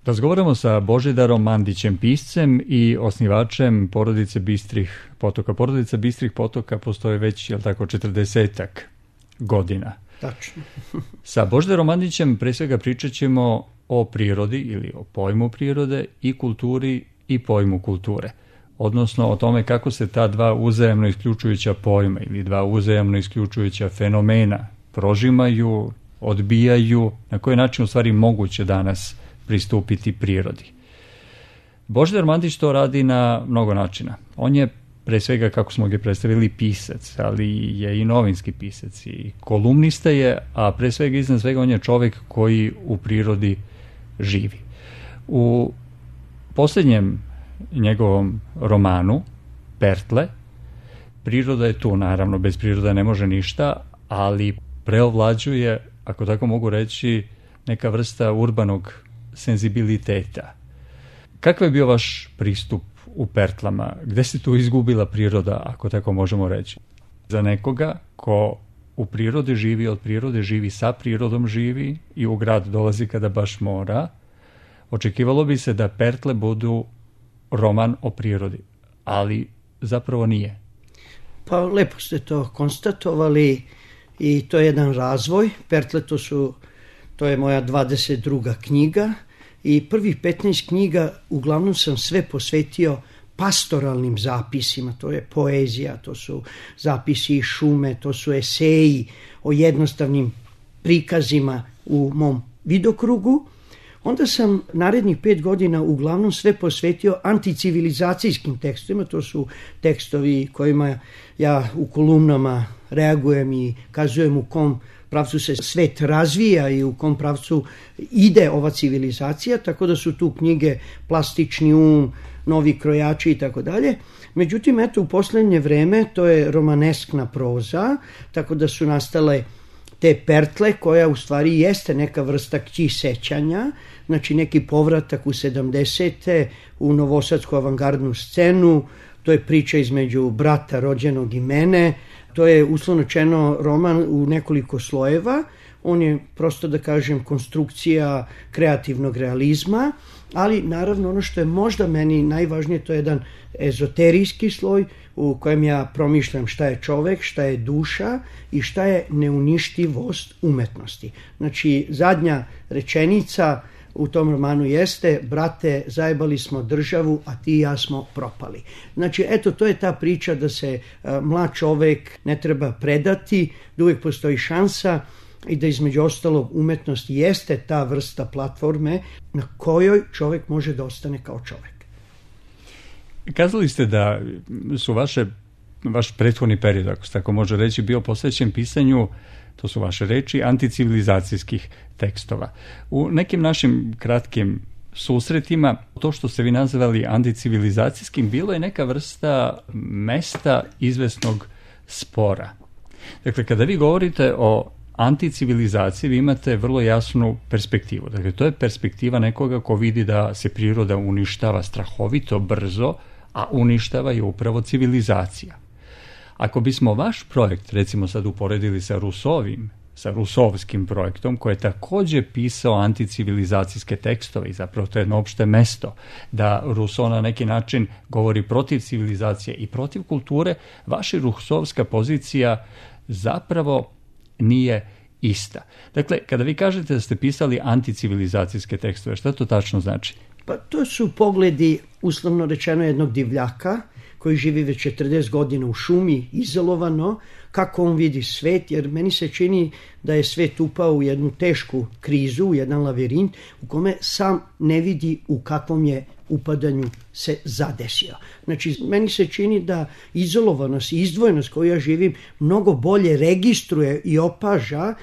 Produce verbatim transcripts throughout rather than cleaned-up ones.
Razgovaramo sa Božidarom Mandićem, piscem i osnivačem porodice Bistrih potoka. Porodica Bistrih potoka postoje već, jel tako, četrdesetak godina. Tačno. Sa Božidarom Mandićem pre svega pričat ćemo o prirodi ili o pojmu prirode i kulturi i pojmu kulture. Odnosno o tome kako se ta dva uzajamno isključujuća pojma ili dva uzajamno isključujuća fenomena prožimaju, odbijaju, na koji način u stvari moguće danas pristupiti prirodi. Božidar Mandić to radi na mnogo načina. On je pre svega, kako smo ga predstavili, pisac, ali je i novinski pisac i kolumnista je, a pre svega iznad svega on je čovek koji u prirodi živi. U posljednjem njegovom romanu Pertle, priroda je tu, naravno, bez prirode ne može ništa, ali preovlađuje, ako tako mogu reći, neka vrsta urbanog senzibiliteta. Kakav je bio vaš pristup u Pertlama? Gde se tu izgubila priroda, ako tako možemo reći? Za nekoga ko u prirodi živi, od prirode živi, sa prirodom živi i u grad dolazi kada baš mora, očekivalo bi se da Pertle budu roman o prirodi, ali zapravo nije. Pa lepo ste to konstatovali i to je jedan razvoj. Pertle to su, to je moja dvadeset druga knjiga i prvih petnaest knjiga uglavnom sam sve posvetio pastoralnim zapisima, to je poezija, to su zapisi iz šume, to su eseji o jednostavnim prikazima u mom vidokrugu. Onda sam narednih pet godina uglavnom sve posvetio anticivilizacijskim tekstovima, to su tekstovi kojima ja u kolumnama reagujem i kazujem u kom pravcu se svet razvija i u kom pravcu ide ova civilizacija, tako da su tu knjige Plastični um, Novi krojači i tako dalje. Međutim, eto, u poslednje vreme to je romaneskna proza, tako da su nastale te Pertle, koja u stvari jeste neka vrsta kći sećanja, znači neki povratak u sedamdesete u novosadsku avangardnu scenu, to je priča između brata rođenog i mene, to je uslovno rečeno roman u nekoliko slojeva, on je prosto da kažem konstrukcija kreativnog realizma, ali naravno ono što je možda meni najvažnije, to je jedan ezoterijski sloj u kojem ja promišljam šta je čovek, šta je duša i šta je neuništivost umetnosti. Znači, zadnja rečenica u tom romanu jeste: brate, zajebali smo državu, a ti i ja smo propali. Znači, eto, to je ta priča da se a, mlad čovek ne treba predati, da uvijek postoji šansa i da između ostalog umetnost jeste ta vrsta platforme na kojoj čovek može da ostane kao čovek. Kazali ste da su vaše, vaš prethodni period, ako se tako može reći, bio posvećen pisanju, to su vaše reči, anticivilizacijskih tekstova. U nekim našim kratkim susretima, to što ste vi nazvali anticivilizacijskim, bilo je neka vrsta mesta izvesnog spora. Dakle, kada vi govorite o anticivilizaciji, vi imate vrlo jasnu perspektivu. Dakle, to je perspektiva nekoga ko vidi da se priroda uništava strahovito brzo, a uništava je upravo civilizacija. Ako bismo vaš projekt, recimo sad uporedili sa Rusovim, sa rusovskim projektom, koji je takođe pisao anticivilizacijske tekstove i zapravo to je jedno opšte mesto, da Ruso na neki način govori protiv civilizacije i protiv kulture, vaša rusovska pozicija zapravo nije ista. Dakle, kada vi kažete da ste pisali anticivilizacijske tekstove, šta to tačno znači? Pa to su pogledi, uslovno rečeno, jednog divljaka koji živi već četrdeset godina u šumi, izolovano, kako on vidi svet, jer meni se čini da je svet upao u jednu tešku krizu, u jedan lavirint u kome sam ne vidi u kakvom je upadanju se zadesio. Znači, meni se čini da izolovanost i izdvojenost koju ja živim mnogo bolje registruje i opaža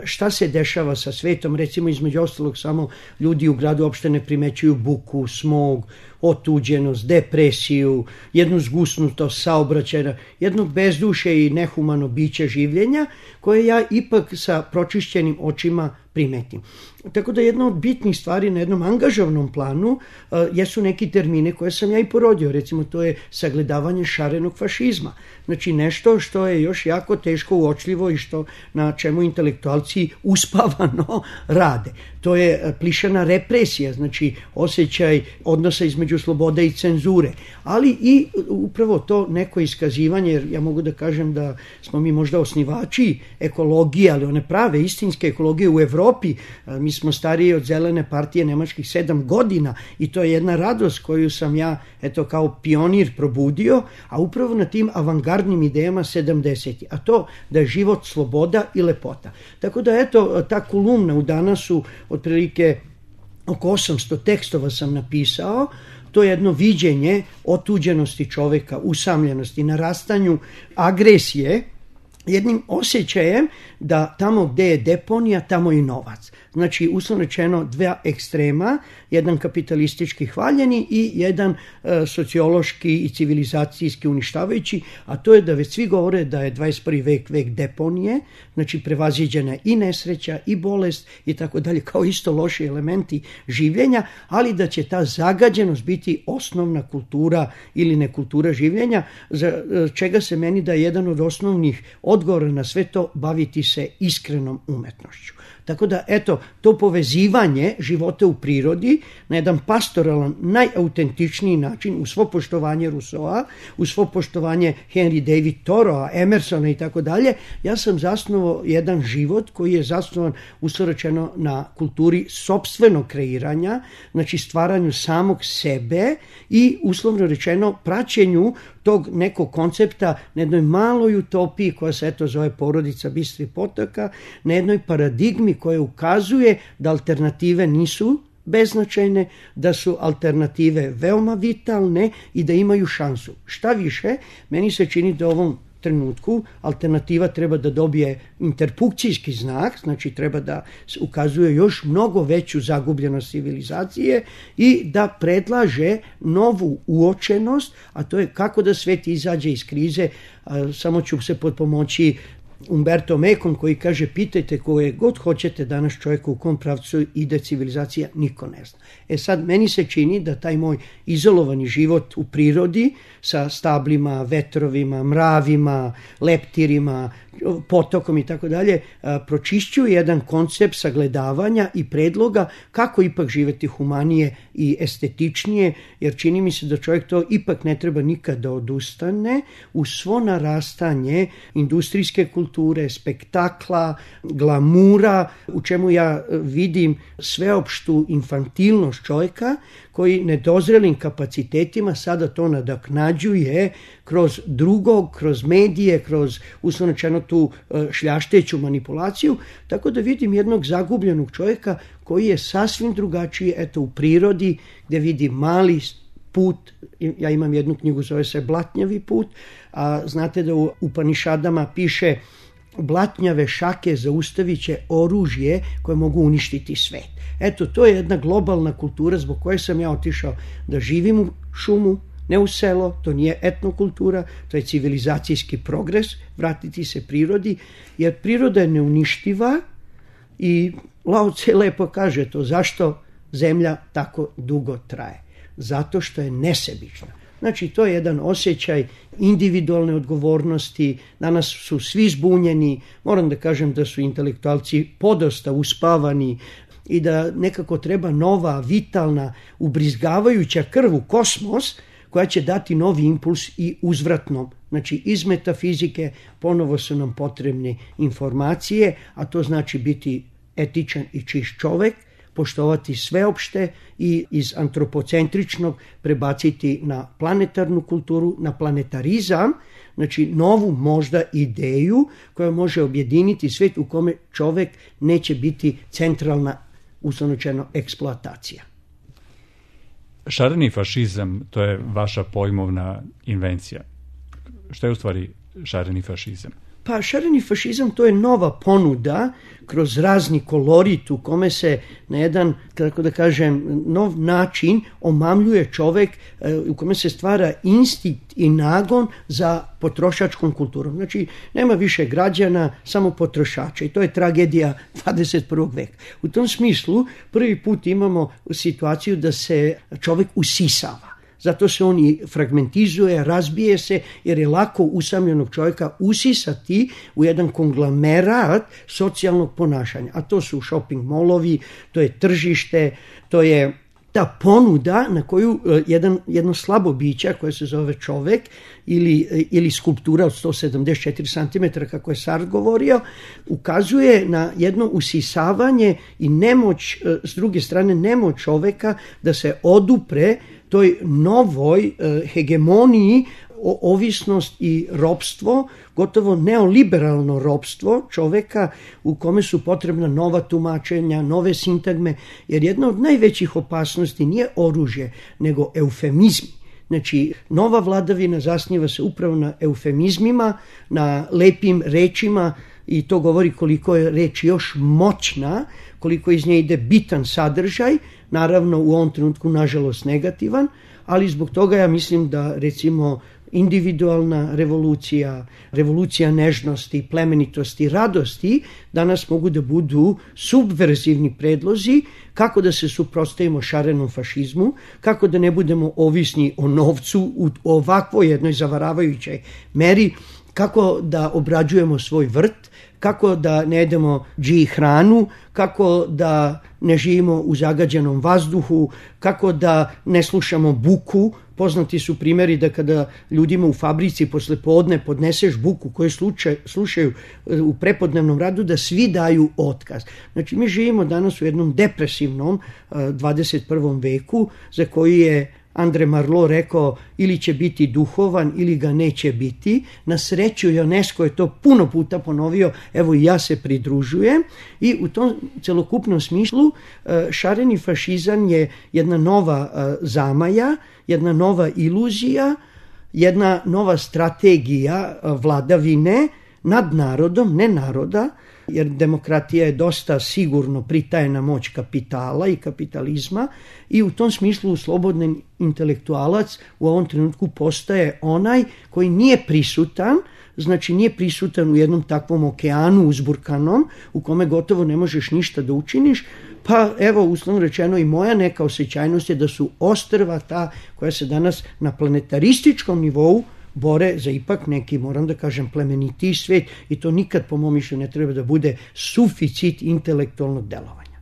šta se dešava sa svetom. Recimo, između ostalog, samo ljudi u gradu uopšte ne primećuju buku, smog, otuđenost, depresiju, jednu zgusnutost saobraćaja, jedno bezduše i nehumano biće življenja koje ja ipak sa pročišćenim očima primetim. Tako da jedna od bitnih stvari na jednom angažovnom planu uh, jesu neki termine koje sam ja i porodio. Recimo, to je sagledavanje šarenog fašizma. Znači, nešto što je još jako teško uočljivo i što na čemu intelektualci uspavano rade. to je plišana represija, znači osjećaj odnosa između slobode i cenzure, ali i upravo to neko iskazivanje, jer ja mogu da kažem da smo mi možda osnivači ekologije, ali one prave, istinske ekologije u Evropi. Mi smo stariji od Zelene partije nemačkih sedam godina i to je jedna radost koju sam ja eto kao pionir probudio, a upravo na tim avangardnim idejama sedamdesetih, a to da je život sloboda i lepota. Tako da eto, ta kolumna u Danasu, otprilike oko osamsto tekstova sam napisao, to je jedno viđenje otuđenosti čoveka, usamljenosti, narastanju agresije, jednim osjećajem da tamo gde je deponija, tamo je i novac. Znači, uslovno rečeno, dva ekstrema, jedan kapitalistički hvaljeni i jedan e, sociološki i civilizacijski uništavajući, a to je da već svi govore da je dvadeset prvi vek vek deponije, znači prevaziđena i nesreća i bolest i tako dalje, kao isto loši elementi življenja, ali da će ta zagađenost biti osnovna kultura ili nekultura življenja, za čega se meni da je jedan od osnovnih odgovora na sve to baviti se iskrenom umetnošću. Tako da, eto, to povezivanje života u prirodi na jedan pastoralan, najautentičniji način, uz svo poštovanje Rousseaua, uz svo poštovanje Henry David Thoreaua, Emersona i tako dalje, ja sam zasnovao jedan život koji je zasnovan, uslovno rečeno, na kulturi sopstvenog kreiranja, znači stvaranju samog sebe i, uslovno rečeno, praćenju tog nekog koncepta na jednoj maloj utopiji koja se eto zove Porodica Bistrih potoka, na jednoj paradigmi koja ukazuje da alternative nisu beznačajne, da su alternative veoma vitalne i da imaju šansu. Šta više, meni se čini da u ovom trenutku alternativa treba da dobije interpunkcijski znak, znači treba da ukazuje još mnogo veću zagubljenost civilizacije i da predlaže novu uočenost, a to je kako da svet izađe iz krize. Samo ću se potpomoći Umberto Ecom koji kaže: pitajte koje god hoćete danas čovjeka u kom pravcu ide civilizacija, niko ne zna. E sad, meni se čini da taj moj izolovani život u prirodi sa stablima, vetrovima, mravima, leptirima, potokom i tako dalje, pročišćuje jedan koncept sagledavanja i predloga kako ipak živeti humanije i estetičnije, jer čini mi se da čovjek to ipak ne treba nikad da odustane u svo narastanje industrijske kulture, spektakla, glamura, u čemu ja vidim sveopštu infantilnost čovjeka koji nedozrelim kapacitetima sada to nadoknađuje kroz drugog, kroz medije, kroz uslovno rečeno tu šljašteću manipulaciju, tako da vidim jednog zagubljenog čovjeka koji je sasvim drugačiji, eto, u prirodi, gdje vidi mali put. Ja imam jednu knjigu, zove se Blatnjavi put, a znate da u Upanišadama piše: blatnjave šake zaustavit će oružje koje mogu uništiti svet. Eto, to je jedna globalna kultura zbog koje sam ja otišao da živim u šumu, ne u selo, to nije etnokultura, to je civilizacijski progres, vratiti se prirodi, jer priroda je neuništiva i Lao Tse lepo kaže to, zašto zemlja tako dugo traje. Zato što je nesebična. Znači, to je jedan osjećaj individualne odgovornosti. Danas su svi zbunjeni, moram da kažem da su intelektualci podosta uspavani i da nekako treba nova, vitalna, ubrizgavajuća krv u kosmos koja će dati novi impuls i uzvratno. Znači, iz metafizike ponovo su nam potrebne informacije, a to znači biti etičan i čist čovek, poštovati sveopšte i iz antropocentričnog prebaciti na planetarnu kulturu, na planetarizam, znači novu možda ideju koja može objediniti svet u kome čovek neće biti centralna, uslovno rečeno, eksploatacija. Šareni fašizam, to je vaša pojmovna invencija. Šta je u stvari šareni fašizam? Pa šareni fašizam to je nova ponuda kroz razni kolorit u kome se na jedan, kako da kažem, nov način omamljuje čovek, u kome se stvara instinkt i nagon za potrošačkom kulturom. Znači, nema više građana, samo potrošača i to je tragedija dvadeset prvog veka. U tom smislu prvi put imamo situaciju da se čovek usisava. Zato se on i fragmentizuje, razbije se, jer je lako usamljenog čovjeka usisati u jedan konglomerat socijalnog ponašanja. A to su shopping molovi, to je tržište, to je ta ponuda na koju jedan, jedno slabo biće koje se zove čovek ili, ili skulptura od sto sedamdeset četiri centimetra, kako je Sartre govorio, ukazuje na jedno usisavanje i nemoć, s druge strane nemoć čoveka da se odupre toj novoj hegemoniji, ovisnost i ropstvo, gotovo neoliberalno ropstvo čoveka u kome su potrebna nova tumačenja, nove sintagme, jer jedna od najvećih opasnosti nije oružje, nego eufemizmi. Znači, nova vladavina zasniva se upravo na eufemizmima, na lepim rečima, i to govori koliko je reč još moćna, koliko iz nje ide bitan sadržaj, naravno u ovom trenutku nažalost negativan, ali zbog toga ja mislim da recimo individualna revolucija, revolucija nežnosti, plemenitosti, radosti danas mogu da budu subverzivni predlozi kako da se suprotstavimo šarenom fašizmu, kako da ne budemo ovisni o novcu u ovakvoj jednoj zavaravajućoj meri, kako da obrađujemo svoj vrt, kako da ne jedemo dži hranu, kako da ne živimo u zagađenom vazduhu, kako da ne slušamo buku. Poznati su primjeri da kada ljudima u fabrici posle podne podneseš buku koju slučaj, slušaju u prepodnevnom radu, da svi daju otkaz. Znači, mi živimo danas u jednom depresivnom dvadeset prvom veku za koji je Andre Marlo rekao ili će biti duhovan ili ga neće biti. Na sreću UNESCO je to puno puta ponovio, evo i ja se pridružujem, i u tom celokupnom smislu šareni fašizam je jedna nova zamaja, jedna nova iluzija, jedna nova strategija vladavine nad narodom, ne naroda, jer demokratija je dosta sigurno pritajena moć kapitala i kapitalizma, i u tom smislu slobodni intelektualac u ovom trenutku postaje onaj koji nije prisutan, znači nije prisutan u jednom takvom okeanu uzburkanom u kome gotovo ne možeš ništa da učiniš. Pa evo, uslovno rečeno, i moja neka osjećajnost je da su ostrva ta koja se danas na planetarističkom nivou bore za ipak neki, moram da kažem, plemenitiji svet, i to nikad po mom mišljenju ne treba da bude suficit intelektualnog delovanja.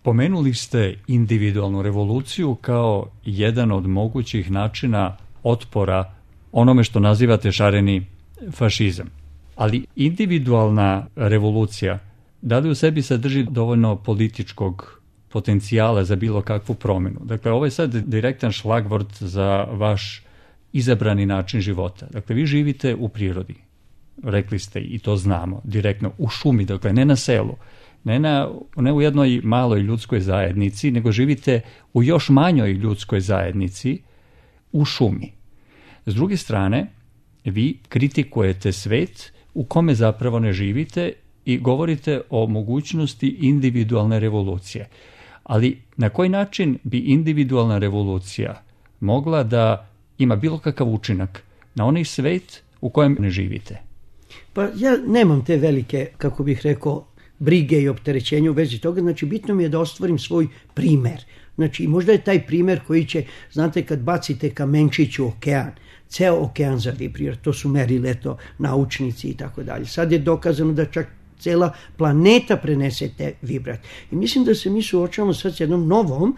Pomenuli ste individualnu revoluciju kao jedan od mogućih načina otpora onome što nazivate šareni fašizam. Ali individualna revolucija, da li u sebi sadrži dovoljno političkog potencijala za bilo kakvu promjenu? Dakle, ovo je sad direktan šlagvort za vaš izabrani način života. Dakle, vi živite u prirodi, rekli ste, i to znamo, direktno u šumi, dakle ne na selu, ne, na, ne u jednoj maloj ljudskoj zajednici, nego živite u još manjoj ljudskoj zajednici u šumi. S druge strane, vi kritikujete svet u kome zapravo ne živite i govorite o mogućnosti individualne revolucije. Ali na koji način bi individualna revolucija mogla da ima bilo kakav učinak na onaj svet u kojem ne živite? Pa ja nemam te velike, kako bih rekao, brige i opterećenja u vezi toga. Znači, bitno mi je da ostvarim svoj primer. Znači, možda je taj primer koji će, znate, kad bacite kamenčić u okean, ceo okean zavibrira, to su merili, eto, naučnici i tako dalje. Sad je dokazano da čak cela planeta prenese te vibrat. I mislim da se mi suočavamo sad s jednom novom,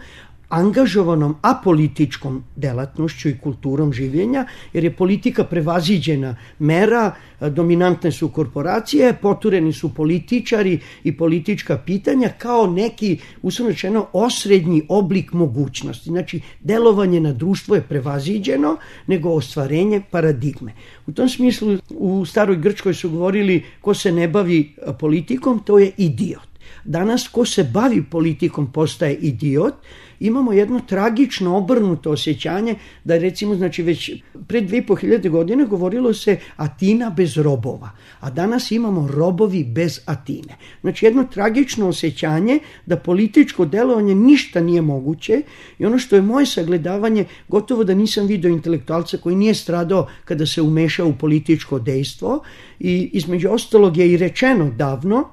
angažovanom apolitičkom delatnošću i kulturom življenja, jer je politika prevaziđena mera, dominantne su korporacije, potureni su političari i politička pitanja kao neki, uslovno rečeno, osrednji oblik mogućnosti. Znači, delovanje na društvo je prevaziđeno, nego ostvarenje paradigme. U tom smislu, u staroj Grčkoj su govorili ko se ne bavi politikom, to je idiot. Danas, ko se bavi politikom postaje idiot. Imamo jedno tragično obrnuto osjećanje da, recimo, znači već pred dve i po hiljade godine govorilo se Atina bez robova, a danas imamo robovi bez Atine. Znači, jedno tragično osjećanje da političko delovanje ništa nije moguće, i ono što je moje sagledavanje, gotovo da nisam video intelektualca koji nije stradao kada se umešao u političko dejstvo, i između ostalog je i rečeno davno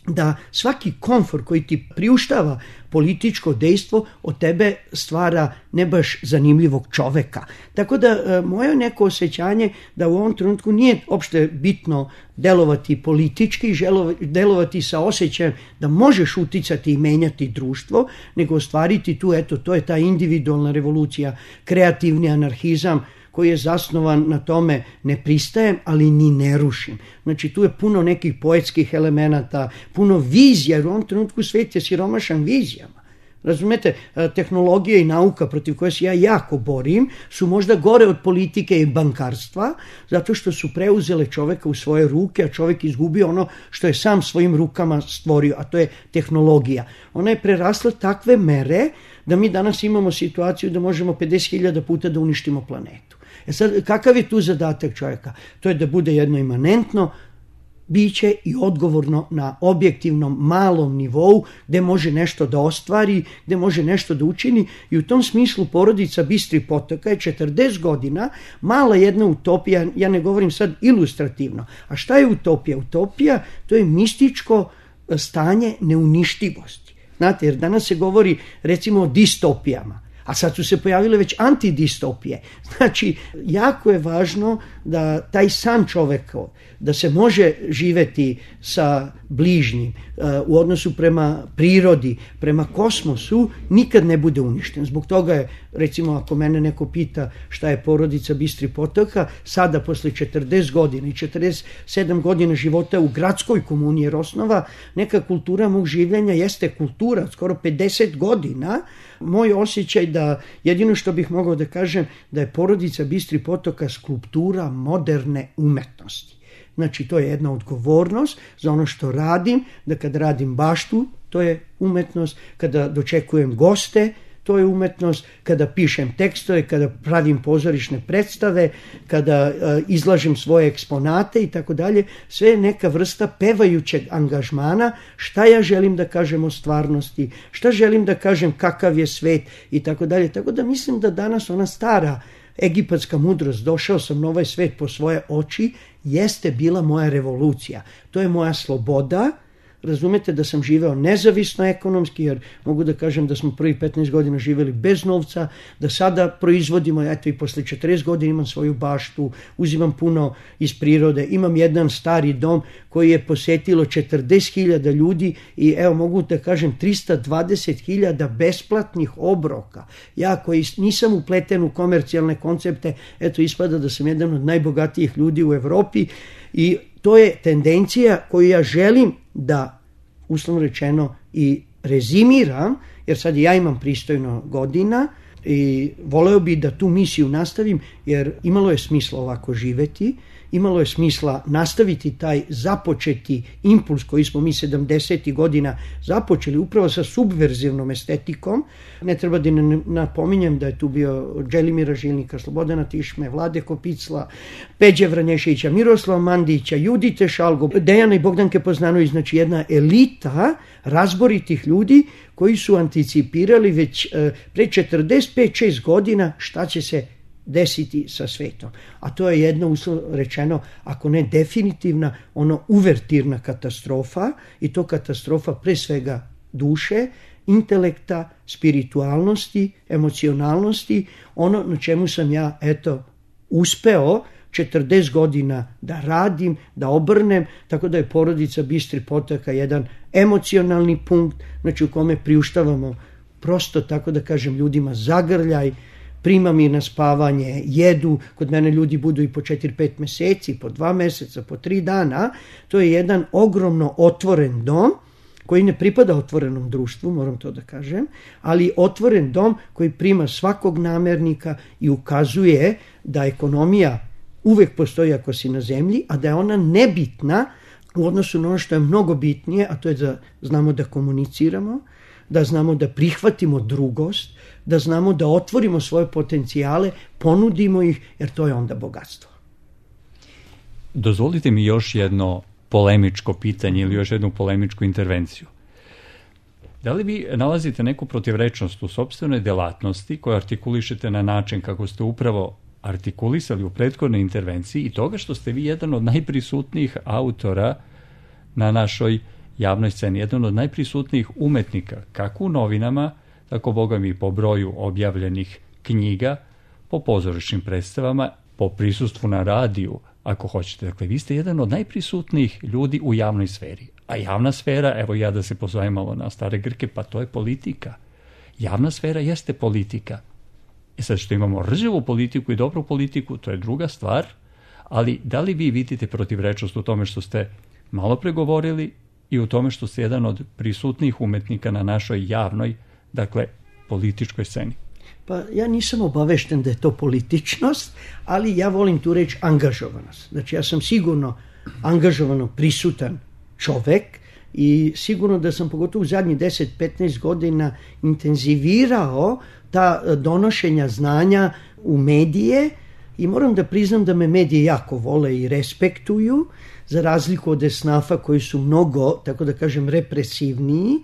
da svaki komfor koji ti priuštava političko dejstvo od tebe stvara ne baš zanimljivog čoveka. Tako da moje neko osjećanje da u ovom trenutku nije opšte bitno delovati politički, delovati sa osjećajem da možeš uticati i menjati društvo, nego ostvariti tu, eto, to je ta individualna revolucija, kreativni anarhizam, koji je zasnovan na tome ne pristajem, ali ni ne rušim. Znači tu je puno nekih poetskih elemenata, puno vizija, jer u ovom trenutku svet je siromašan vizijama. Razumete, tehnologija i nauka protiv koje se ja jako borim su možda gore od politike i bankarstva, zato što su preuzele čoveka u svoje ruke, a čovek izgubio ono što je sam svojim rukama stvorio, a to je tehnologija. Ona je prerasla takve mere da mi danas imamo situaciju da možemo pedeset hiljada puta da uništimo planetu. E sad, kakav je tu zadatak čovjeka? To je da bude jedno imanentno biće i odgovorno na objektivnom malom nivou gde može nešto da ostvari, gde može nešto da učini, i u tom smislu porodica Bistri potoka je četrdeset godina mala jedna utopija, ja ne govorim sad ilustrativno. A šta je utopija? Utopija to je mističko stanje neuništivosti. Znate, jer danas se govori recimo o distopijama, a sad su se pojavile već antidistopije. Znači, jako je važno da taj san čoveka, da se može živeti sa bližnjim u odnosu prema prirodi, prema kosmosu, nikad ne bude uništen. Zbog toga je, recimo, ako mene neko pita šta je porodica Bistri potoka, sada posle četrdeset godina i četrdeset sedam godina života u gradskoj komuni, jer osnova neka kultura mog življenja jeste kultura, skoro pedeset godina, moj osjećaj da jedino što bih mogao da kažem da je porodica Bistri potoka skulptura moderne umetnosti. Znači, to je jedna odgovornost za ono što radim, da kad radim baštu, to je umetnost, kada dočekujem goste, to je umetnost, kada pišem tekstove, kada pravim pozorišne predstave, kada uh, izlažem svoje eksponate i tako dalje, sve je neka vrsta pevajućeg angažmana, šta ja želim da kažem o stvarnosti, šta želim da kažem kakav je svet i tako dalje. Tako da mislim da danas ona stara egipatska mudrost, došao sam na ovaj svet po svoje oči, jeste bila moja revolucija. To je moja sloboda. Razumete da sam živeo nezavisno ekonomski, jer mogu da kažem da smo prvih petnaest godina živeli bez novca, da sada proizvodimo, eto i posle četrdeset godina imam svoju baštu, uzimam puno iz prirode, imam jedan stari dom koji je posetilo četrdeset hiljada ljudi i evo mogu da kažem trista dvadeset hiljada besplatnih obroka. Ja koji nisam upleten u komercijalne koncepte, eto ispada da sam jedan od najbogatijih ljudi u Evropi i to je tendencija koju ja želim da, uslovno rečeno, i rezimiram, jer sad ja imam pristojno godina i voleo bi da tu misiju nastavim, jer imalo je smisla ovako živeti, imalo je smisla nastaviti taj započeti impuls koji smo mi sedamdesetih godina započeli upravo sa subverzivnom estetikom. Ne treba da napominjem da je tu bio Dželimira Žilnika, Slobodana Tišme, Vlade Kopicla, Peđe Vranješevića, Miroslava Mandića, Judite Šalgo, Dejana i Bogdanke Poznanović, znači jedna elita razboritih ljudi koji su anticipirali već pre četrdeset pet šest godina šta će se desiti sa svetom. A to je jedna, uslovno rečeno, ako ne definitivna, ono uvertirna katastrofa, i to katastrofa pre svega duše, intelekta, spiritualnosti, emocionalnosti, ono na čemu sam ja, eto, uspeo četrdeset godina da radim, da obrnem, tako da je porodica Bistri potoka jedan emocionalni punkt, znači u kome priuštavamo prosto, tako da kažem, ljudima zagrljaj, prima mi na spavanje, jedu, kod mene ljudi budu i po četiri pet meseci, po dva meseca, po tri dana. To je jedan ogromno otvoren dom koji ne pripada otvorenom društvu, moram to da kažem, ali otvoren dom koji prima svakog namernika i ukazuje da ekonomija uvek postoji ako si na zemlji, a da je ona nebitna u odnosu na ono što je mnogo bitnije, a to je da znamo da komuniciramo, da znamo da prihvatimo drugost, da znamo da otvorimo svoje potencijale, ponudimo ih, jer to je onda bogatstvo. Dozvolite mi još jedno polemičko pitanje ili još jednu polemičku intervenciju. Da li vi nalazite neku protivrečnost u sopstvenoj delatnosti koju artikulišete na način kako ste upravo artikulisali u prethodnoj intervenciji i toga što ste vi jedan od najprisutnijih autora na našoj javnoj sceni, jedan od najprisutnijih umetnika, kako u novinama, tako boga mi po broju objavljenih knjiga, po pozorišnim predstavama, po prisustvu na radiju, ako hoćete. Dakle, vi ste jedan od najprisutnijih ljudi u javnoj sferi. A javna sfera, evo ja da se pozovem malo na stare Grke, pa to je politika. Javna sfera jeste politika. I sad što imamo rđavu politiku i dobru politiku, to je druga stvar, ali da li vi vidite protivrečnost u tome što ste malo pregovorili i u tome što ste jedan od prisutnijih umetnika na našoj javnoj, dakle, političkoj sceni? Pa ja nisam obavešten da je to političnost, ali ja volim tu reći angažovanost. Znači ja sam sigurno angažovano prisutan čovek i sigurno da sam pogotovo u zadnjih deset do petnaest godina intenzivirao ta donošenja znanja u medije i moram da priznam da me medije jako vole i respektuju, za razliku od esnafa koji su mnogo, tako da kažem, represivniji,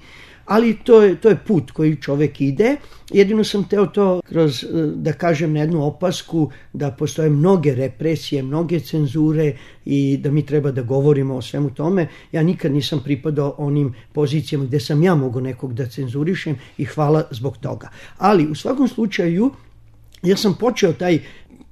ali to je, to je put koji čovek ide. Jedino sam teo to kroz, da kažem, na jednu opasku da postoje mnoge represije, mnoge cenzure i da mi treba da govorimo o svemu tome. Ja nikad nisam pripadao onim pozicijama gde sam ja mogao nekog da cenzurišem i hvala zbog toga. Ali u svakom slučaju ja sam počeo taj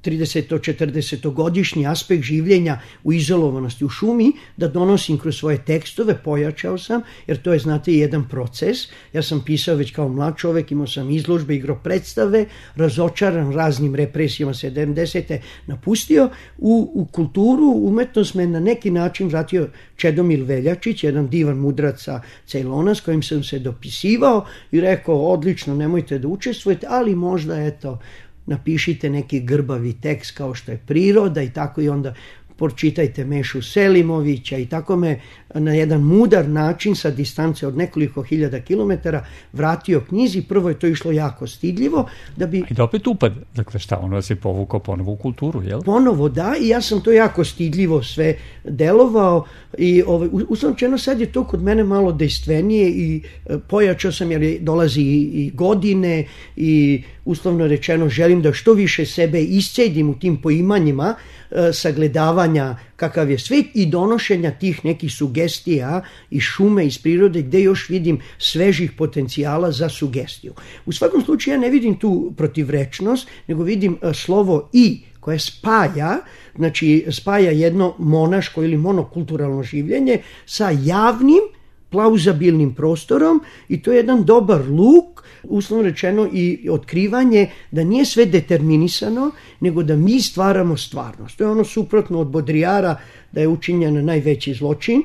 trideset-četrdesetogodišnji aspekt življenja u izolovanosti u šumi da donosim kroz svoje tekstove, pojačao sam, jer to je, znate, jedan proces. Ja sam pisao već kao mlad čovek, imao sam izložbe, igro predstave, razočaran raznim represijama sedamdesete napustio. U, u kulturu, umetnost me na neki način vratio Čedomir Veljačić, jedan divan mudrac sa Ceylona s kojim sam se dopisivao i rekao, odlično, nemojte da učestvujete, ali možda, eto, napišite neki grbavi tekst kao što je Priroda i tako, i onda pročitajte Mešu Selimovića i tako me na jedan mudar način sa distance od nekoliko hiljada kilometara vratio knjizi. Prvo je to išlo jako stidljivo. Da bi... I da opet upad, dakle šta, ono vas je povukao ponovo u kulturu, jel? Ponovo, da, i ja sam to jako stidljivo sve delovao i ovaj, uslovno rečeno sad je to kod mene malo dejstvenije i e, pojačao sam jer dolazi i, i godine i uslovno rečeno želim da što više sebe iscedim u tim poimanjima e, sagledavanja kakav je svet i donošenja tih nekih sugestija iz šume, iz prirode, gde još vidim svežih potencijala za sugestiju. U svakom slučaju ja ne vidim tu protivrečnost, nego vidim slovo i koje spaja, znači spaja jedno monaško ili monokulturalno življenje sa javnim plauzabilnim prostorom i to je jedan dobar luk, uslovno rečeno i otkrivanje da nije sve determinisano, nego da mi stvaramo stvarnost. To je ono suprotno od Bodrijara da je učinjen najveći zločin,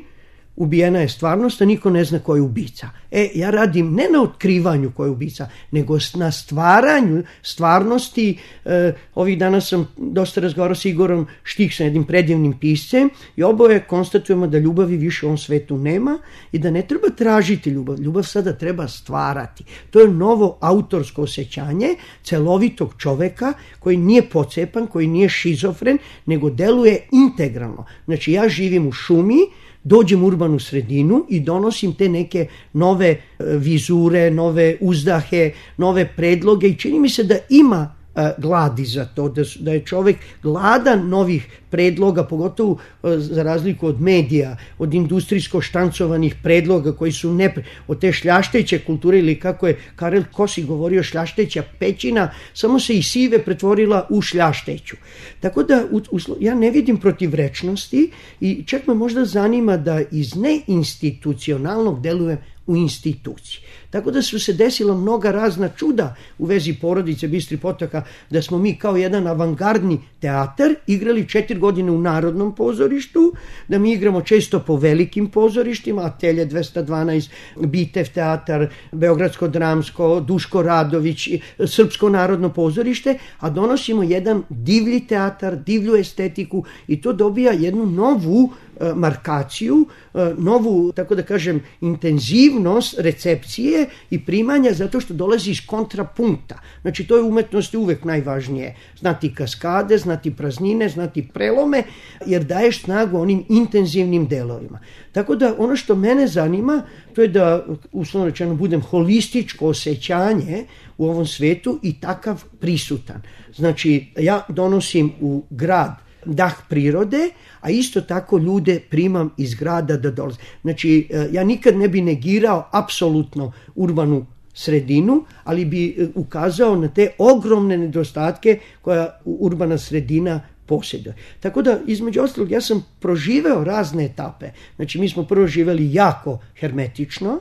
ubijena je stvarnost, a niko ne zna ko je ubica. E, ja radim ne na otkrivanju ko je ubica, nego na stvaranju stvarnosti. E, ovih dana sam dosta razgovarao s Igorom Štiksom, jednim predivnim piscem, i oboje konstatujemo da ljubavi više u ovom svetu nema i da ne treba tražiti ljubav. Ljubav sada treba stvarati. To je novo autorsko osjećanje celovitog čoveka koji nije pocepan, koji nije šizofren, nego deluje integralno. Znači, ja živim u šumi, dođem u urbanu sredinu i donosim te neke nove vizure, nove uzdahe, nove predloge i čini mi se da ima gladi za to, da, da je čovek gladan novih predloga, pogotovo za razliku od medija, od industrijsko štancovanih predloga koji su ne, od te šljašteće kulture, ili kako je Karel Kosi govorio, šljašteća pećina, samo se i sive pretvorila u šljašteću. Tako da u, u, ja ne vidim protivrečnosti i čak me možda zanima da iz neinstitucionalnog delujem u instituciji. Tako da su se desila mnoga razna čuda u vezi porodice Bistri Potoka, da smo mi kao jedan avangardni teatar igrali četiri godine u Narodnom pozorištu, da mi igramo često po velikim pozorištima, Atelje dvesta dvanaest, Bitev teatar, Beogradsko dramsko, Duško Radović, Srpsko narodno pozorište, a donosimo jedan divlji teatar, divlju estetiku i to dobija jednu novu markaciju, novu, tako da kažem, intenzivnost recepcije i primanja, zato što dolazi iz kontrapunkta. Znači, to je u umetnosti uvek najvažnije. Znati kaskade, znati praznine, znati prelome, jer daješ snagu onim intenzivnim delovima. Tako da, ono što mene zanima, to je da, uslovno rečeno, budem holističko osjećanje u ovom svetu i takav prisutan. Znači, ja donosim u grad dah prirode, a isto tako ljude primam iz grada da dolaze. Znači, ja nikad ne bi negirao apsolutno urbanu sredinu, ali bi ukazao na te ogromne nedostatke koja urbana sredina posjeduje. Tako da, između ostalog, ja sam proživeo razne etape. Znači, mi smo prvo živeli jako hermetično,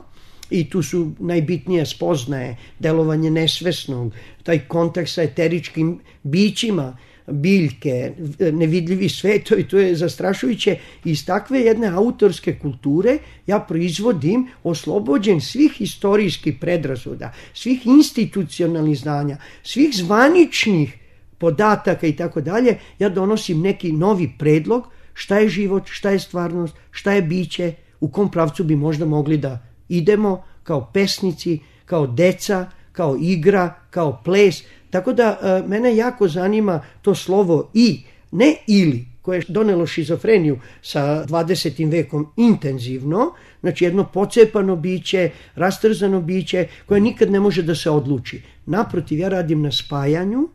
i tu su najbitnije spoznaje, delovanje nesvesnog, taj kontakt sa eteričkim bićima, biljke, nevidljivi svetovi, to je zastrašujuće. Iz takve jedne autorske kulture ja proizvodim, oslobođen svih historijskih predrasuda, svih institucionalnih znanja, svih zvaničnih podataka i tako dalje, ja donosim neki novi predlog šta je život, šta je stvarnost, šta je biće, u kom pravcu bi možda mogli da idemo kao pesnici, kao deca, kao igra, kao ples. Tako da e, mene jako zanima to slovo i, ne ili, koje je donelo šizofreniju sa dvadesetim vekom intenzivno, znači jedno pocepano biće, rastrzano biće koje nikad ne može da se odluči. Naprotiv, ja radim na spajanju,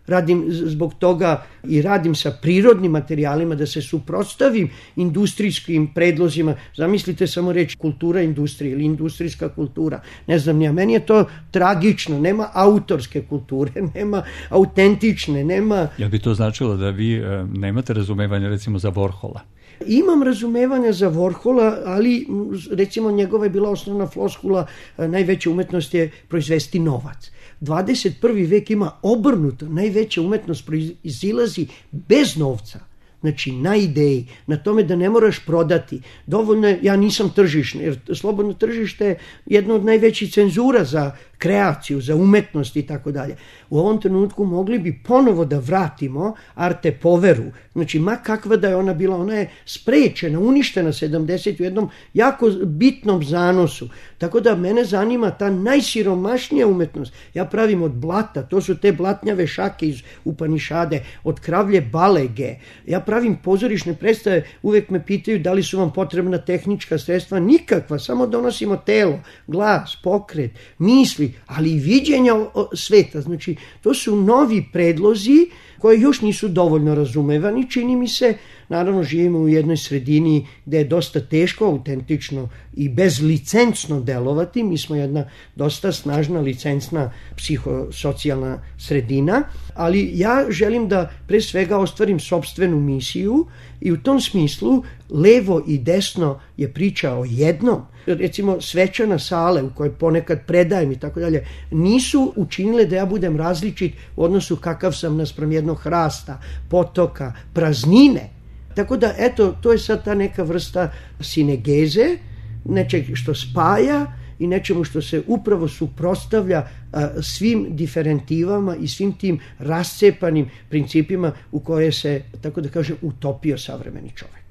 radim zbog toga i radim sa prirodnim materijalima da se suprotstavim industrijskim predlozima. Zamislite samo reći kultura industrije ili industrijska kultura. Ne znam, ja, meni je to tragično. Nema autorske kulture, nema autentične, nema... Jel bi to značilo da vi e, nemate razumevanja recimo za Warhola? Imam razumevanja za Warhola, ali recimo njegova je bila osnovna floskula, najveća umetnost je proizvesti novac. dvadeset prvi vek ima obrnuto, najveća umetnost proizilazi bez novca. Znači, na ideji, na tome da ne moraš prodati. Dovoljno je, ja nisam tržišni, jer slobodno tržište je jedna od najvećih cenzura za kreaciju, za umetnost i tako dalje. U ovom trenutku mogli bi ponovo da vratimo arte poveru. Znači, ma kakva da je ona bila, ona je sprečena, uništena sedamdeset u jednom jako bitnom zanosu. Tako da mene zanima ta najsiromašnija umetnost. Ja pravim od blata, to su te blatnjave šake iz Upanišade, od kravlje balege. Ja pravim pozorišne predstave, uvek me pitaju da li su vam potrebna tehnička sredstva. Nikakva, samo donosimo telo, glas, pokret, misli, ali i viđenja sveta. Znači, to su novi predlozi koji još nisu dovoljno razumevani, čini mi se. Naravno, živimo u jednoj sredini gde je dosta teško, autentično i bezlicencno delovati. Mi smo jedna dosta snažna licencna psihosocijalna sredina, ali ja želim da pre svega ostvarim sopstvenu misiju i u tom smislu levo i desno je priča o jednom. Recimo, svečana sale u kojoj ponekad predajem i tako dalje, nisu učinile da ja budem različit u odnosu kakav sam naspram jednog hrasta, potoka, praznine. Tako da, eto, to je sad ta neka vrsta sinegeze, nečeg što spaja i nečemu što se upravo suprotstavlja a, svim diferentivama i svim tim rascepanim principima u koje se, tako da kažem, utopio savremeni čovek.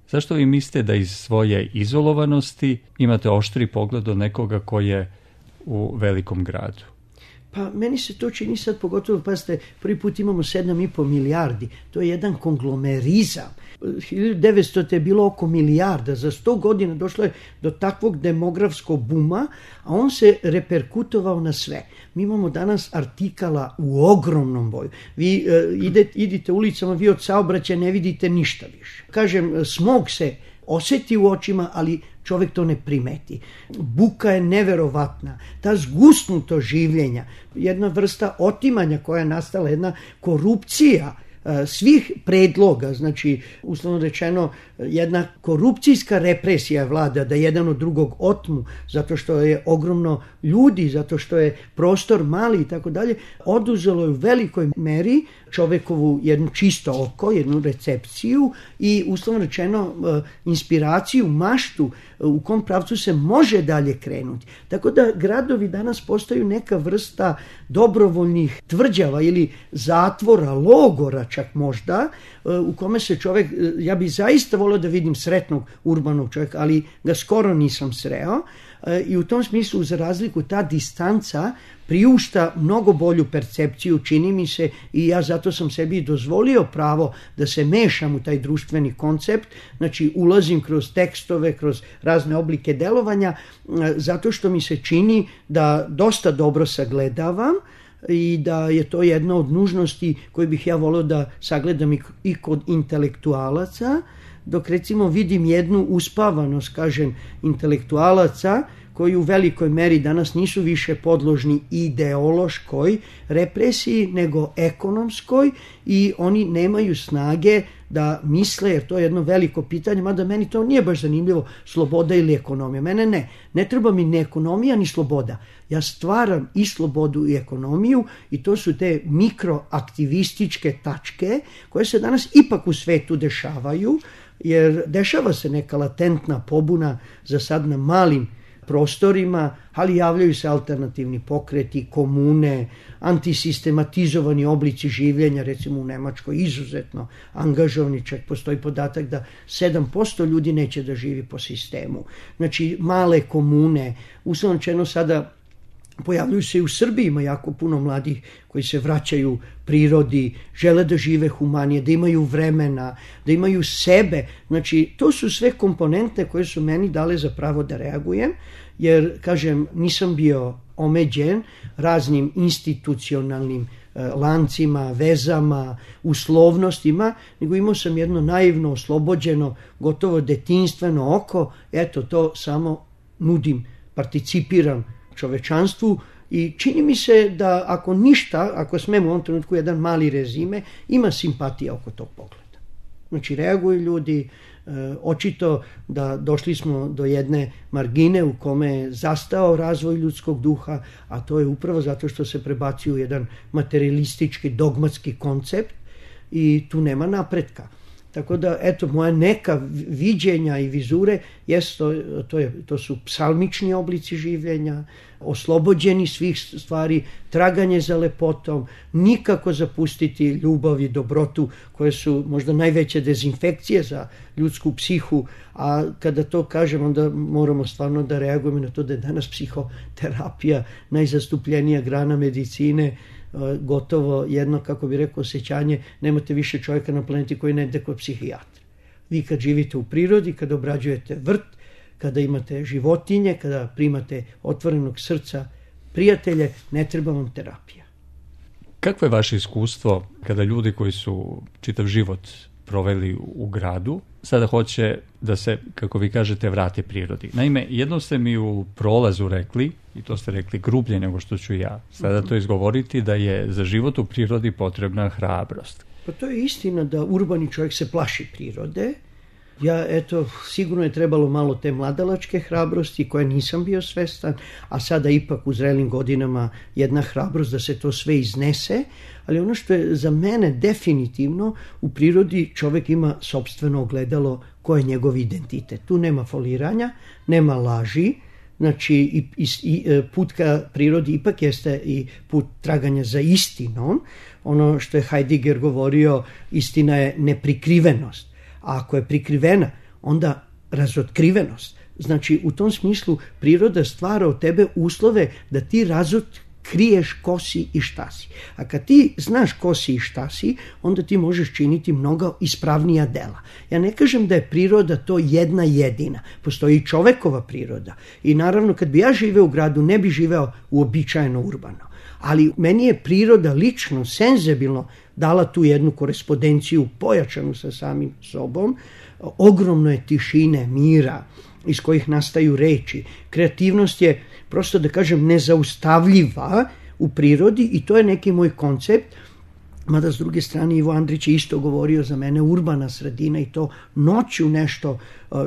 Zašto vi mislite da iz svoje izolovanosti imate oštri pogled od nekoga ko je u velikom gradu? Pa meni se to čini sad, pogotovo, pazite, prvi put imamo sedam i po milijardi, to je jedan konglomerizam. hiljadu devetsto. je bilo oko milijarda, za sto godina došlo je do takvog demografskog buma, a on se reperkutovao na sve. Mi imamo danas artikala u ogromnom boju. Vi uh, idete, idite ulicama, vi od saobraćaja ne vidite ništa više. Kažem, smog se osjeti u očima, ali čovjek to ne primeti. Buka je neverovatna. Ta zgusnuto življenja, jedna vrsta otimanja koja je nastala, jedna korupcija svih predloga, znači, uslovno rečeno, jedna korupcijska represija vlada da jedan od drugog otmu, zato što je ogromno ljudi, zato što je prostor mali i tako dalje, oduzelo je u velikoj meri čovekovu jednu čisto oko, jednu recepciju i uslovno rečeno inspiraciju, maštu u kom pravcu se može dalje krenuti. Tako da gradovi danas postaju neka vrsta dobrovoljnih tvrđava ili zatvora, logora čak možda, u kome se čovek, ja bi zaista volio da vidim sretnog urbanog čovjeka, ali ga skoro nisam sreo, i u tom smislu, za razliku, ta distanca priušta mnogo bolju percepciju, čini mi se, i ja zato sam sebi dozvolio pravo da se mešam u taj društveni koncept, znači ulazim kroz tekstove, kroz razne oblike delovanja, zato što mi se čini da dosta dobro sagledavam i da je to jedna od nužnosti koju bih ja volio da sagledam i kod intelektualaca, dok recimo vidim jednu uspavanost, kažem, intelektualaca koji u velikoj meri danas nisu više podložni ideološkoj represiji nego ekonomskoj i oni nemaju snage da misle, jer to je jedno veliko pitanje, mada meni to nije baš zanimljivo, sloboda ili ekonomija. Mene ne, ne treba mi ni ekonomija ni sloboda. Ja stvaram i slobodu i ekonomiju i to su te mikroaktivističke tačke koje se danas ipak u svetu dešavaju, jer dešava se neka latentna pobuna za sad na malim prostorima, ali javljaju se alternativni pokreti, komune, antisistematizovani oblici življenja, recimo u Nemačkoj izuzetno angažovani, čak postoji podatak da sedam posto ljudi neće da živi po sistemu. Znači male komune, uslovno rečeno sada pojavljuju se i u Srbiji, ima jako puno mladih koji se vraćaju prirodi, žele da žive humanije, da imaju vremena, da imaju sebe. Znači, to su sve komponente koje su meni dale za pravo da reagujem, jer, kažem, nisam bio omeđen raznim institucionalnim e, lancima, vezama, uslovnostima, nego imao sam jedno naivno, oslobođeno, gotovo detinstveno oko, eto, to samo nudim, participiram čovečanstvu i čini mi se da ako ništa, ako smemo u ovom trenutku jedan mali rezime, ima simpatija oko tog pogleda. Znači reaguju ljudi, e, očito da došli smo do jedne margine u kome je zastao razvoj ljudskog duha, a to je upravo zato što se prebacio u jedan materialistički, dogmatski koncept i tu nema napretka. Tako da, eto, moja neka viđenja i vizure jest to, to, je, to su psalmični oblici življenja, oslobođeni svih stvari, traganje za lepotom, nikako zapustiti ljubav i dobrotu koje su možda najveće dezinfekcije za ljudsku psihu, a kada to kažem onda moramo stvarno da reagujemo na to da je danas psihoterapija najzastupljenija grana medicine, gotovo jedno, kako bi rekao, osjećanje, nemate više čovjeka na planeti koji ne ide kod psihijatra. Vi kad živite u prirodi, kada obrađujete vrt, kada imate životinje, kada primate otvorenog srca prijatelje, ne treba vam terapija. Kakvo je vaše iskustvo kada ljudi koji su čitav život proveli u gradu, sada hoće da se, kako vi kažete, vrate prirodi? Naime, jedno ste mi u prolazu rekli, i to ste rekli grublje nego što ću ja sada to izgovoriti, da je za život u prirodi potrebna hrabrost. Pa to je istina da urbani čovjek se plaši prirode. Ja, eto, sigurno je trebalo malo te mladalačke hrabrosti koje nisam bio svestan, a sada ipak u zrelim godinama jedna hrabrost da se to sve iznese, ali ono što je za mene definitivno, u prirodi čovjek ima sopstveno ogledalo ko je njegov identitet. Tu nema foliranja, nema laži, znači i, i, i put ka prirodi ipak jeste i put traganja za istinom. Ono što je Heidegger govorio, istina je neprikrivenost. A ako je prikrivena, onda razotkrivenost. Znači, u tom smislu priroda stvara od tebe uslove da ti razotkriješ ko si i šta si. A kad ti znaš ko si i šta si, onda ti možeš činiti mnogo ispravnija dela. Ja ne kažem da je priroda to jedna jedina. Postoji i čovekova priroda. I naravno, kad bi ja živeo u gradu, ne bi živeo uobičajeno urbano. Ali meni je priroda lično, senzibilno dala tu jednu korespondenciju pojačanu sa samim sobom. Ogromno je tišine, mira iz kojih nastaju reči. Kreativnost je, prosto da kažem, nezaustavljiva u prirodi i to je neki moj koncept. Mada s druge strane Ivo Andrić je isto govorio za mene urbana sredina i to noću nešto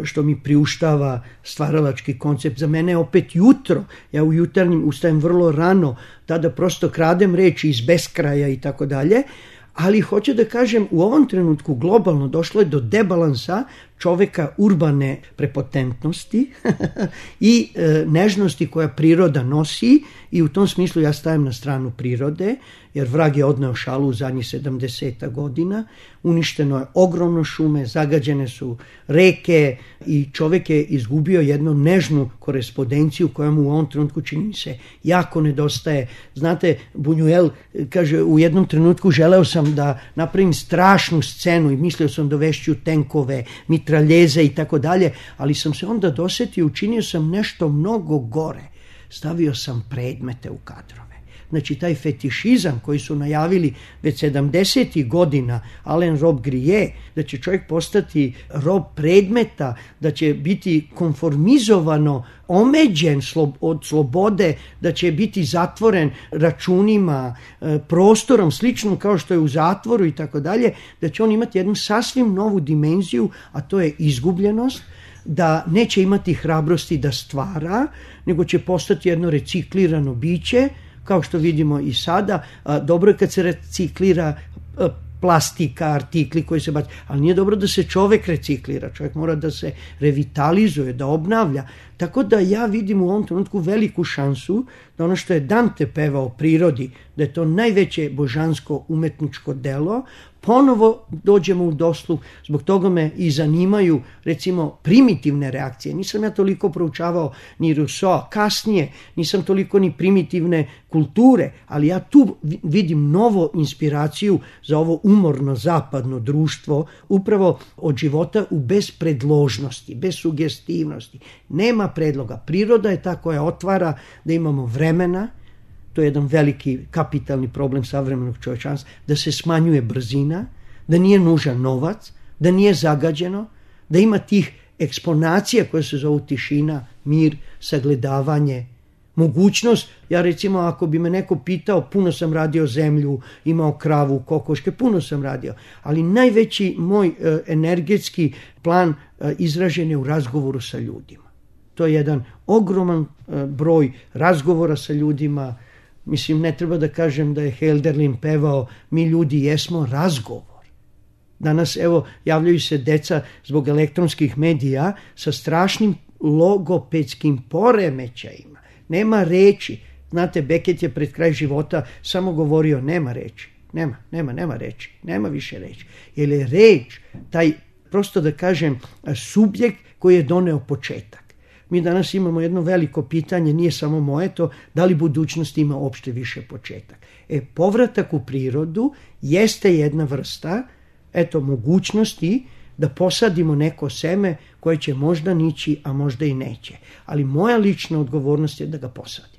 što mi priuštava stvaralački koncept. Za mene je opet jutro, ja u jutarnjim ustajem vrlo rano, tada prosto kradem reči iz beskraja i tako dalje, ali hoću da kažem u ovom trenutku globalno došlo je do debalansa čoveka urbane prepotentnosti i e, nežnosti koja priroda nosi i u tom smislu ja stajem na stranu prirode, jer vrag je odneo šalu u zadnjih sedamdeset godina, uništeno je ogromno šume, zagađene su reke i čovek je izgubio jednu nežnu korespondenciju koja mu u ovom trenutku čini se jako nedostaje. Znate, Buñuel kaže u jednom trenutku želeo sam da napravim strašnu scenu i mislio sam dovešću tenkove, mitraljeze i tako dalje, ali sam se onda dosetio, učinio sam nešto mnogo gore. Stavio sam predmete u kadrove. Znači taj fetišizam koji su najavili već sedamdesetih godina Alain Robbe-Grillet, da će čovjek postati rob predmeta, da će biti konformizovano omeđen od slobode, da će biti zatvoren računima, prostorom sličnom kao što je u zatvoru i tako dalje, da će on imati jednu sasvim novu dimenziju, a to je izgubljenost, da neće imati hrabrosti da stvara, nego će postati jedno reciklirano biće, kao što vidimo i sada. Dobro je kad se reciklira plastika, artikli koji se baci, ali nije dobro da se čovek reciklira, čovjek mora da se revitalizuje, da obnavlja. Tako da ja vidim u ovom trenutku veliku šansu da ono što je Dante pevao o prirodi, da je to najveće božansko umetničko delo, ponovo dođemo u dosluh. Zbog toga me i zanimaju, recimo, primitivne reakcije. Nisam ja toliko proučavao ni Rousseau, kasnije nisam toliko ni primitivne kulture, ali ja tu vidim novu inspiraciju za ovo umorno zapadno društvo, upravo od života u bespredložnosti, bez sugestivnosti. Nema predloga. Priroda je ta koja otvara da imamo vremena. To je jedan veliki kapitalni problem savremenog čovječanstva, da se smanjuje brzina, da nije nužan novac, da nije zagađeno, da ima tih eksponacija koje se zovu tišina, mir, sagledavanje, mogućnost. Ja recimo, ako bi me neko pitao, puno sam radio zemlju, imao kravu, kokoške, puno sam radio, ali najveći moj e, energetski plan e, izražen je u razgovoru sa ljudima. To je jedan ogroman e, broj razgovora sa ljudima. Mislim, ne treba da kažem da je Hölderlin pevao mi ljudi jesmo razgovor. Danas, evo, javljaju se deca zbog elektronskih medija sa strašnim logopedskim poremećajima. Nema reči. Znate, Beckett je pred kraj života samo govorio nema reči. Nema, nema, nema reči. Nema više reči. Jer je reč, taj, prosto da kažem, subjekt koji je doneo početak. Mi danas imamo jedno veliko pitanje, nije samo moje to, da li budućnost ima uopšte više početak. E, povratak u prirodu jeste jedna vrsta, eto, mogućnosti da posadimo neko seme koje će možda nići, a možda i neće. Ali moja lična odgovornost je da ga posadim.